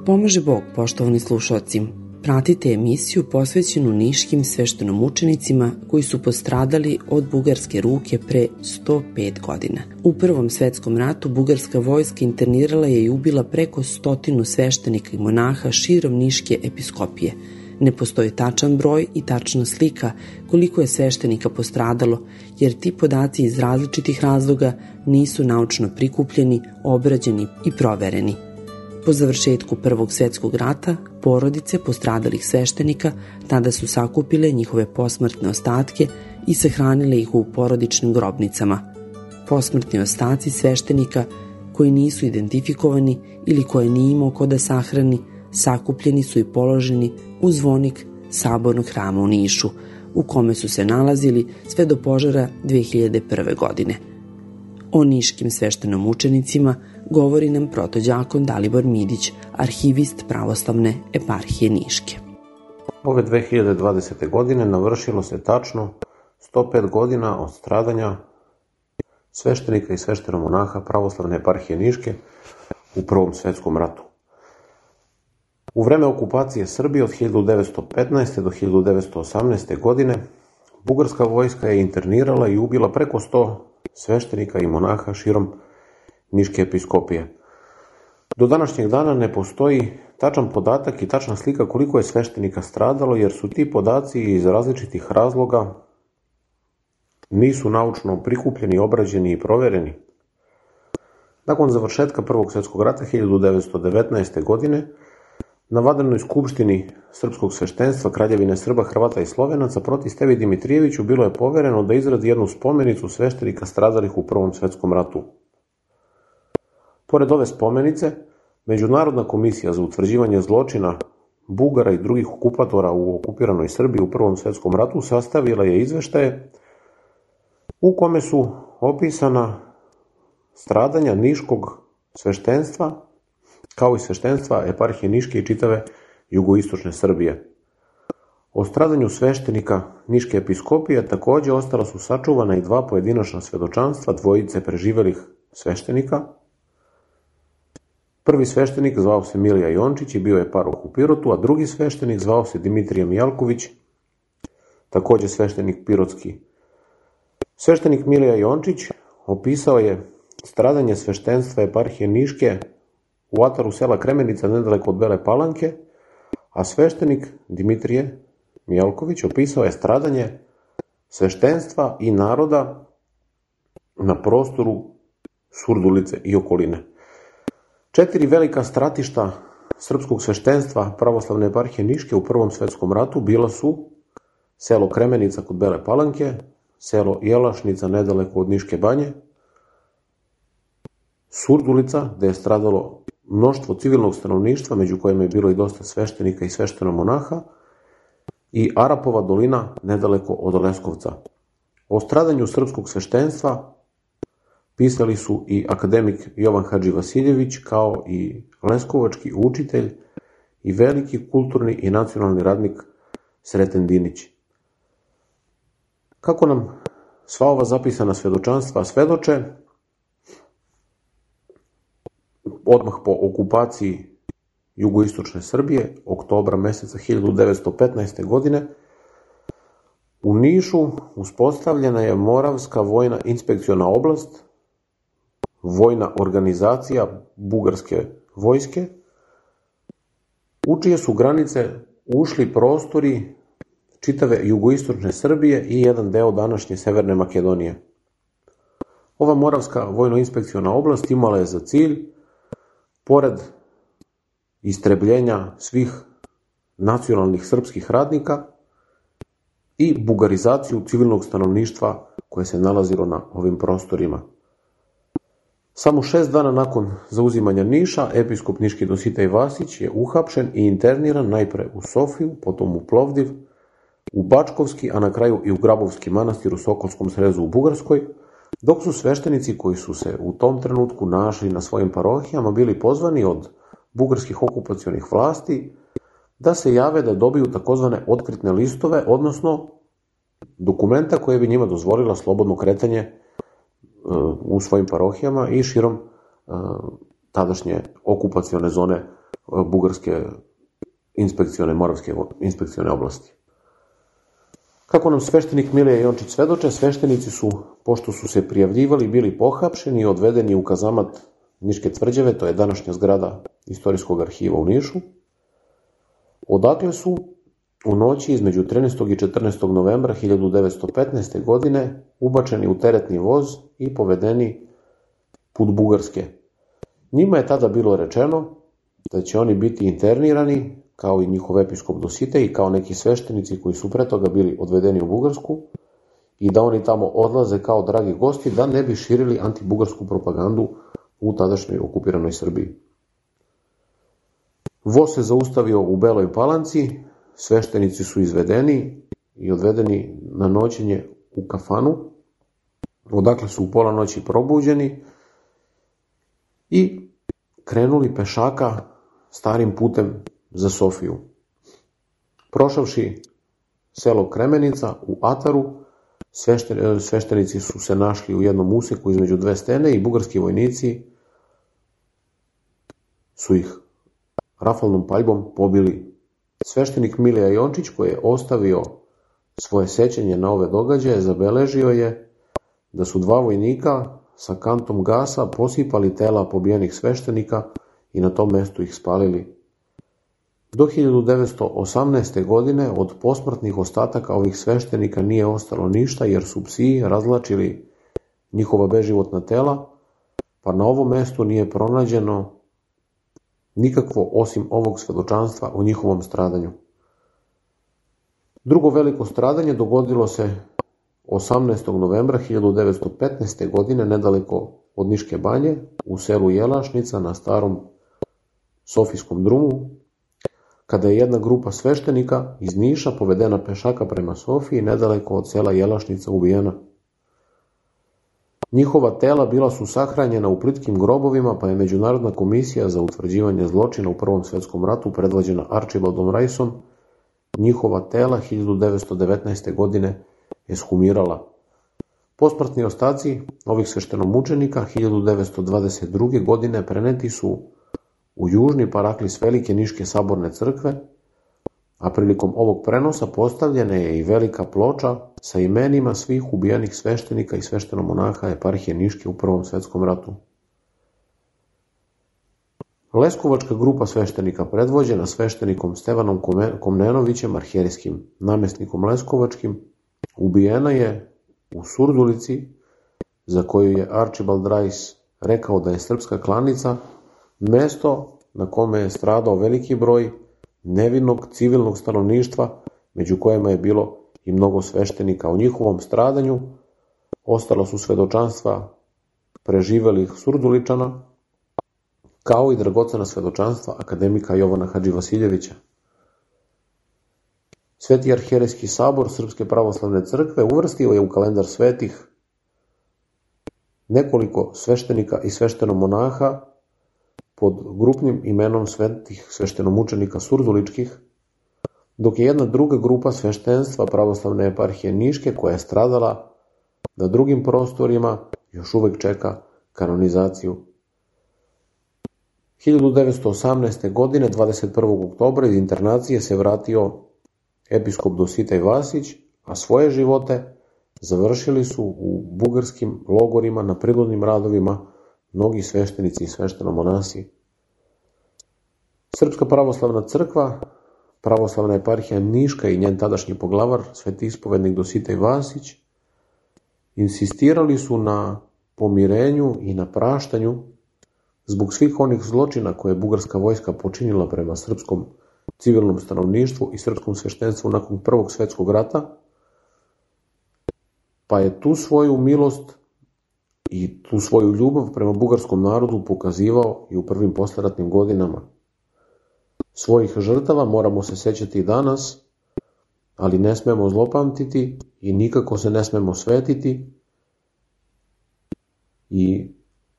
Pomaže Bog, poštovani slušaoci. Pratite emisiju posvećenu niškim sveštenomučenicima koji su postradali od bugarske ruke pre 105 godina. U Prvom svetskom ratu bugarska vojska internirala je i ubila preko 100 sveštenika i monaha širom Niške episkopije. Ne postoji tačan broj i tačna slika koliko je sveštenika postradalo, jer ti podaci iz različitih razloga nisu naučno prikupljeni, obrađeni i provereni. Po završetku Prvog svjetskog rata, porodice postradalih sveštenika tada su sakupile njihove posmrtne ostatke i sahranile ih u porodičnim grobnicama. Posmrtni ostaci sveštenika koji nisu identifikovani ili koje nije imao ko da sahrani, sakupljeni su i položeni u zvonik Sabornog hrama u Nišu, u kome su se nalazili sve do požara 2001. godine. O niškim sveštenomučenicima govori nam protođakon Dalibor Midić, arhivist pravoslavne eparhije Niške. Ove 2020. godine navršilo se tačno 105 godina od stradanja sveštenika i sveštenomonaha pravoslavne eparhije Niške u Prvom svjetskom ratu. U vreme okupacije Srbije od 1915. do 1918. godine bugarska vojska je internirala i ubila preko 100 sveštenika i monaha širom Niške episkopije. Do današnjeg dana ne postoji tačan podatak i tačna slika koliko je sveštenika stradalo, jer su ti podaci iz različitih razloga nisu naučno prikupljeni, obrađeni i provereni. Nakon završetka Prvog svjetskog rata 1919. godine na vanrednoj skupštini srpskog sveštenstva Kraljevine Srba, Hrvata i Slovenaca proti Stevi Dimitrijeviću bilo je povereno da izradi jednu spomenicu sveštenika stradalih u Prvom svjetskom ratu. Pored ove spomenice, Međunarodna komisija za utvrđivanje zločina Bugara i drugih okupatora u okupiranoj Srbiji u Prvom svjetskom ratu sastavila je izveštaje u kome su opisana stradanja niškog sveštenstva kao i sveštenstva eparhije Niške i čitave jugoistočne Srbije. O stradanju sveštenika Niške episkopije također ostala su sačuvana i dva pojedinačna svedočanstva dvojice preživelih sveštenika. Prvi sveštenik zvao se Milija Jončić i bio je paroh u Pirotu, a drugi sveštenik zvao se Dimitrije Mijalković, također sveštenik pirotski. Sveštenik Milija Jončić opisao je stradanje sveštenstva eparhije Niške u ataru sela Kremenica nedaleko od Bele Palanke, a sveštenik Dimitrije Mijalković opisao je stradanje sveštenstva i naroda na prostoru Surdulice i okoline. 4 velika stratišta srpskog sveštenstva pravoslavne eparhije Niške u Prvom svjetskom ratu bila su selo Kremenica kod Bele Palanke, selo Jelašnica nedaleko od Niške banje, Surdulica, gde je stradalo mnoštvo civilnog stanovništva, među kojima je bilo i dosta sveštenika i sveštenomonaha, i Arapova dolina nedaleko od Leskovca. O stradanju srpskog sveštenstva pisali su i akademik Jovan Hadži Vasiljević, kao i leskovački učitelj i veliki kulturni i nacionalni radnik Sreten Dinić. Kako nam sva ova zapisana svedočanstva svedoče, odmah po okupaciji jugoistočne Srbije, oktobra meseca 1915. godine, u Nišu uspostavljena je Moravska vojna inspekciona oblast, vojna organizacija bugarske vojske, u čije su granice ušli prostori čitave jugoistočne Srbije i jedan deo današnje Severne Makedonije. Ova Moravska vojno-inspekciona oblast imala je za cilj, pored istrebljenja svih nacionalnih srpskih radnika, i bugarizaciju civilnog stanovništva koje se nalazilo na ovim prostorima. Samo 6 dana nakon zauzimanja Niša, episkop niški Dositej Vasić je uhapšen i interniran najpre u Sofiju, potom u Plovdiv, u Bačkovski, a na kraju i u Grabovski manastir u Sokolskom srezu u Bugarskoj, dok su sveštenici koji su se u tom trenutku našli na svojim parohijama bili pozvani od bugarskih okupacionih vlasti da se jave da dobiju takozvane otkritne listove, odnosno dokumenta koje bi njima dozvolila slobodno kretanje u svojim parohijama i širom tadašnje okupacione zone bugarske moravske inspekcione oblasti. Kako nam sveštenik Milija Jončić svedoče, sveštenici su, pošto su se prijavljivali, bili pohapšeni i odvedeni u kazamat Niške tvrđave, to je današnja zgrada Istorijskog arhiva u Nišu, odakle su u noći između 13. i 14. novembra 1915. godine ubačeni u teretni voz i povedeni put Bugarske. Njima je tada bilo rečeno da će oni biti internirani, kao i njihov episkop Dositej i kao neki sveštenici koji su pre toga bili odvedeni u Bugarsku, i da oni tamo odlaze kao dragi gosti da ne bi širili antibugarsku propagandu u tadašnjoj okupiranoj Srbiji. Voz se zaustavio u Beloj Palanci, sveštenici su izvedeni i odvedeni na noćenje u kafanu, odakle su u pola noći probuđeni i krenuli pešaka starim putem za Sofiju. Prošavši selo Kremenica u Ataru, sveštenici su se našli u jednom useku između dve stene i bugarski vojnici su ih rafalnom paljbom pobili. Sveštenik Milija Jončić, koji je ostavio svoje sećanje na ove događaje, zabeležio je da su dva vojnika sa kantom gasa posipali tela pobijenih sveštenika i na tom mestu ih spalili. Do 1918. godine od posmrtnih ostataka ovih sveštenika nije ostalo ništa, jer su psi razlačili njihova beživotna tela, pa na ovom mestu nije pronađeno nikakvo osim ovog svedočanstva o njihovom stradanju. Drugo veliko stradanje dogodilo se 18. novembra 1915. godine nedaleko od Niške banje u selu Jelašnica na starom Sofijskom drumu, kada je jedna grupa sveštenika iz Niša povedena pešaka prema Sofiji nedaleko od sela Jelašnica ubijena. Njihova tela bila su sahranjena u plitkim grobovima, pa je Međunarodna komisija za utvrđivanje zločina u Prvom svetskom ratu predvođena Archibaldom Riceom njihova tela 1919. godine ekshumirala. Posmrtni ostaci ovih sveštenomučenika 1922. godine preneti su u južni paraklis Velike Niške saborne crkve, a prilikom ovog prenosa postavljena je i velika ploča sa imenima svih ubijenih sveštenika i sveštenomonaha eparhije Niške u Prvom svetskom ratu. Leskovačka grupa sveštenika predvođena sveštenikom Stevanom Komnenovićem, arhijerijskim namestnikom Leskovačkim, ubijena je u Surdulici, za koju je Archibald Rice rekao da je srpska klanica, mesto na kome je stradao veliki broj nevinog civilnog stanovništva, među kojima je bilo i mnogo sveštenika. O njihovom stradanju ostala su svedočanstva preživelih Surduličana, kao i dragocena svedočanstva akademika Jovana Hadživasiljevića. Sveti arhijerejski sabor Srpske pravoslavne crkve uvrstio je u kalendar svetih nekoliko sveštenika i sveštenomonaha pod grupnim imenom svetih sveštenomučenika surduličkih, dok je jedna druga grupa sveštenstva pravoslavne eparhije Niške, koja je stradala na drugim prostorima, još uvek čeka kanonizaciju. 1918. godine, 21. oktobra, iz internacije se vratio episkop Dositej Vasić, a svoje živote završili su u bugarskim logorima na prinudnim radovima mnogi sveštenici i sveštenomonasi. Srpska pravoslavna crkva, pravoslavna eparhija Niška i njen tadašnji poglavar, sveti ispovednik Dositej Vasić, insistirali su na pomirenju i na praštanju zbog svih onih zločina koje je bugarska vojska počinila prema srpskom civilnom stanovništvu i srpskom sveštenstvu nakon Prvog svetskog rata, pa je tu svoju milost i tu svoju ljubav prema bugarskom narodu pokazivao i u prvim posleratnim godinama. Svojih žrtava moramo se sećati i danas, ali ne smemo zlopamtiti i nikako se ne smemo svetiti, i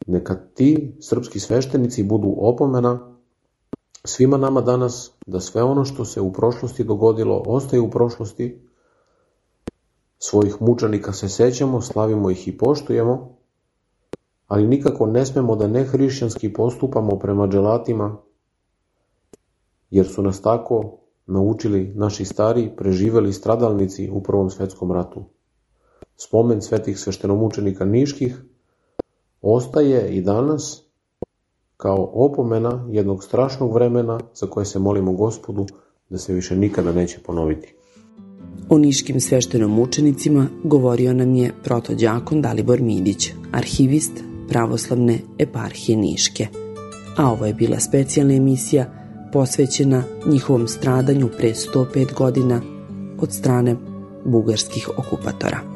neka ti srpski sveštenici budu opomena svima nama danas da sve ono što se u prošlosti dogodilo ostaje u prošlosti. Svojih mučenika se sećamo, slavimo ih i poštujemo, ali nikako ne smemo da nehrišćanski postupamo prema dželatima jer su nas tako naučili naši stari preživeli stradalnici u Prvom svetskom ratu. Spomen svetih sveštenomučenika niških ostaje i danas kao opomena jednog strašnog vremena za koje se molimo Gospodu da se više nikada neće ponoviti. O niškim sveštenomučenicima govorio nam je protođakon Dalibor Midić, arhivist Pravoslavne eparhije Niške. A ovo je bila specijalna emisija posvećena njihovom stradanju pre 105 godina od strane bugarskih okupatora.